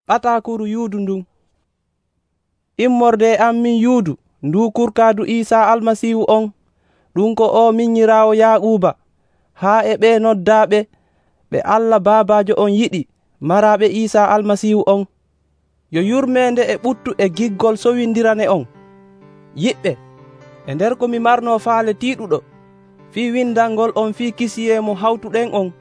ɓatakuru Yuudu ndun. Immorde am min Yuudu ndu kurkaadu Iisaa Almasiihu on, ɗum ko o minyiraawo Yaaquuba, haa e ɓe noddaaɓe ɓe Allah Baabaajo on yiɗi maraaɓe Iisaa Almasiihu on. Yo yurmeende e ɓuttu e giggol sowindirane on. Yiɓɓe, e nder ko mi marnoo faale tiiɗuɗo fii windalngol on fii Kisiye mo hawtuɗen on,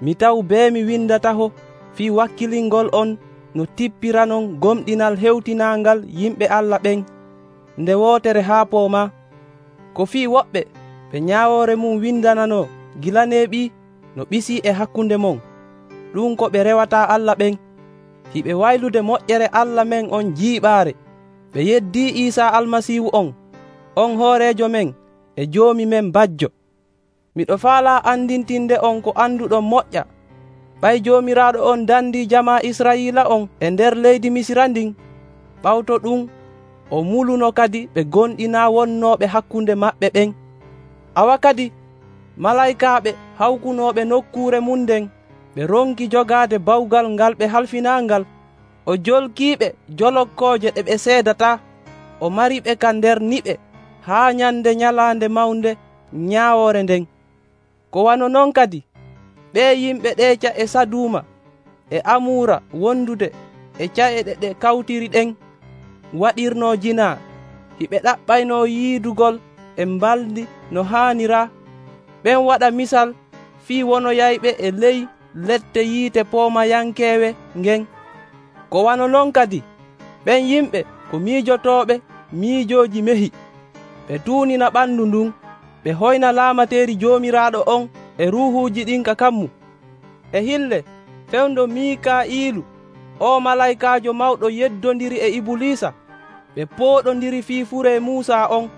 mi taw bee mi windataho fii wakkilingol on no tippiranon gomɗinal hewtinaangal yimɓe Allah ɓen nde wootere haa poomaa. Ko fii woɓɓe ɓe ñaawoore mum windananoo gila neeɓii no ɓisii e hakkunde mon, ɗum ko ɓe rewataa Allah ɓen. Hiɓe waylude moƴƴere Allah men on jiiɓaare, ɓe yeddii Iisaa Almasiihu on hooreejo men e joomi men bajjo. Miɗo faalaa andintinde on ko anduɗon moƴƴa, ɓay Joomiraaɗo on dandii jamaa Israa'iila on e nder leydi Misira ndin. Ɓawto ɗum o muluno kadi ɓe gonɗinaa wonnooɓe hakkunde maɓɓe ɓen. Awa kadi malaykaaɓe hawkunooɓe nokkuure mum nden ɓe ronki jogaade bawgal ngal ɓe halfinaangal. O jolkiiɓe jolokkooje ɗe ɓe seedataa, o mariɓe ka nder niɓe haa nyande nyalaande mawnde ñaawoore nden. Ko wano non kadi ɓee yimɓe ɗeeca e Saduuma e Amuura wondude e ca'eɗe ɗe kawtiri ɗen waɗirnoo jinaa, hiɓe ɗaɓɓaynoo yiidugol e mbaldi no haaniraa. Ɓen waɗa misal fii wonoyayɓe e ley lette yiite poomayankeewe ngen. Ko wano non kadi ɓen yimɓe ko miijotooɓe miijooji mehi, ɓe tuunina ɓandu ndun, ɓe hoyna laamateeri Joomiraaɗo on e ruuhuuji ɗin ka kammu. E hille fewndo Miika'iilu, o malaykaajo mawɗo yeddondiri e Ibuliisa, ɓe pooɗondiri fii furee Muusaa on.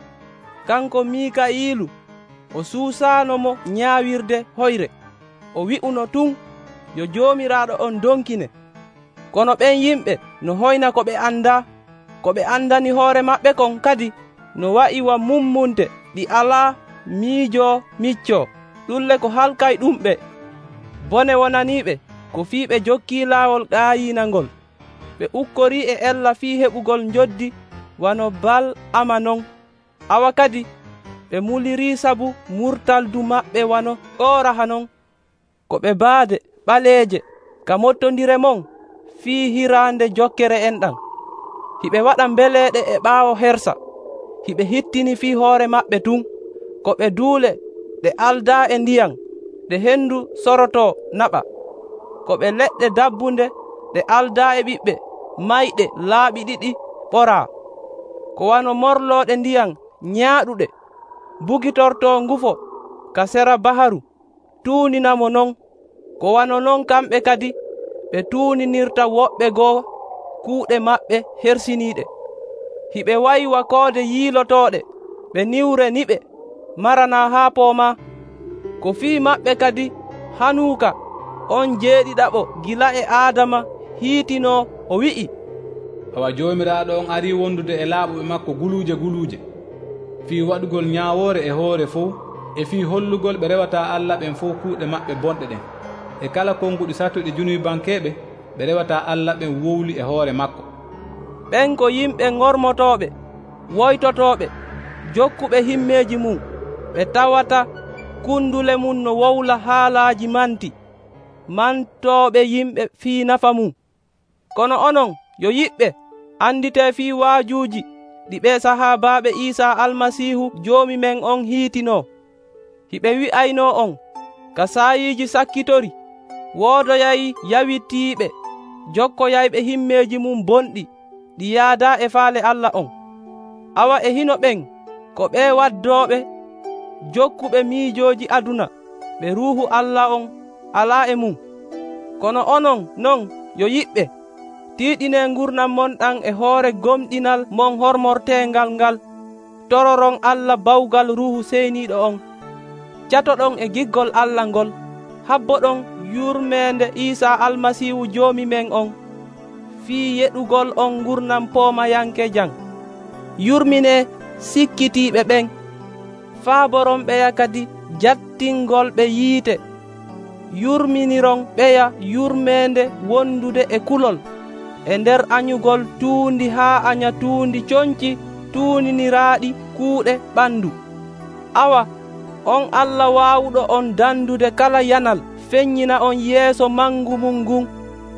Kanko Miika'iilu o suusaano mo ñaawirde hoyre, o wi'uno tun yo Joomiraaɗo on donkine. Kono ɓen yimɓe no hoyna ko ɓe andaa, ko ɓe andani hoore maɓɓe kon kadi no wa'iwa mummunte ɗi alaa miijoo miccoo, ɗulle ko halkay ɗumɓe. Bone wonaniiɓe ko fii ɓe jokkii laawol gaayiina ngol, ɓe ukkorii e ella fii heɓugol njoddi wano Bal-ama non. Awa kadi ɓe mulirii sabu murtaldu maɓɓe wano Kooraha non, ko ɓe baade ɓaleeje ka mottondire mon fii hiraande jokkere en ɗam. Hiɓe waɗa mbeleeɗe e ɓaawo hersa, hiɓe hittini fii hoore maɓɓe tun, ko ɓe duule ɗe aldaa e ndiyam ɗe hendu sorotoo naɓa, ko ɓe leɗɗe dabbunde ɗe aldaa e ɓiɓɓe mayɗe laaɓi ɗiɗi ɓoraa, ko wano morlooɗe ndiyam ñaaɗuɗe bugitortoo ngufo ka sera baharu tuuninamo non. Ko wano non kamɓe kadi ɓe tuuninirta woɓɓe goo kuuɗe maɓɓe hersiniiɗe. Hiɓe waywa koode yiilotooɗe ɓe niwre niɓe maranaa haa poomaa. Ko fii maɓɓe kadi Hanuuka on jeeɗiɗaɓo gila e Aadama hiitinoo o wi'i, awa Joomiraaɗo on arii wondude e laaɓuɓe makko guluuje fii waɗugol ñaawoore e hoore fof, e fii hollugol ɓe rewataa Allah ɓen fof kuuɗe maɓɓe bonɗe ɗen, e kala konguɗi satuɗi junubankeeɓe ɓe rewataa Allah ɓen wowli e hoore makko. Ɓen ko yimɓe ŋormotooɓe, woytotooɓe, jokkuɓe himmeeji mum, ɓe tawata kundule mum no wowla haalaaji manti, mantooɓe yimɓe fii nafa mum. Kono onon yo yiɓɓe, anditee fii waajuuji ɗi ɓe sahaabaaɓe Iisaa Almasiihu joomi men on hiitinoo. Hiɓe wi'aynoo on ka saayiiji sakkitori, woodoyay yawitiiɓe jokkoyayɓe himmeeji mum bonɗi ɗi yaadaa e faale Allah on. Awa e hino ɓen ko ɓe waddooɓe jokkuɓe miijooji aduna, ɓe ruuhu Allah on alaa e mum. Kono onon non yo yiɓɓe, tiiɗinee gurdam mon ɗam e hoore gomɗinal mon hormorteengal ngal, tororon Allah bawgal Ruuhu Seyniiɗo on. Catoɗon e giggol Allah ngol, habboɗon yurmeende Iisaa Almasiihu joomi men on, fii yeɗugol on gurdam poomayanke jam. Yurminee sikkitiiɓe ɓen, faaboron ɓeya kadi jattingol ɓe yiite. Yurminiron ɓeya yurmeende wondude e kulol, e nder anyugol tuundi haa anya tuundi coñci tuuniniraaɗi kuuɗe ɓandu. Awa, on Allah waawuɗo on dandude kala yanal feññina on yeeso mangu mum ngun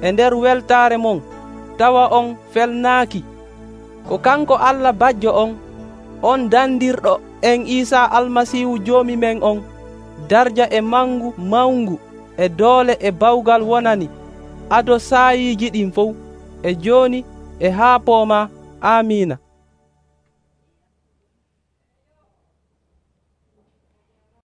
e nder weltaare mon, tawa on felnaaki. Ko kanko Allah bajjo on dandirɗo en Iisaa Almasiihu Joomi men on, darja e mangu mawngu e doole e bawgal wonani ado saayiiji ɗin fof, e jooni e haa pooma. Amiina.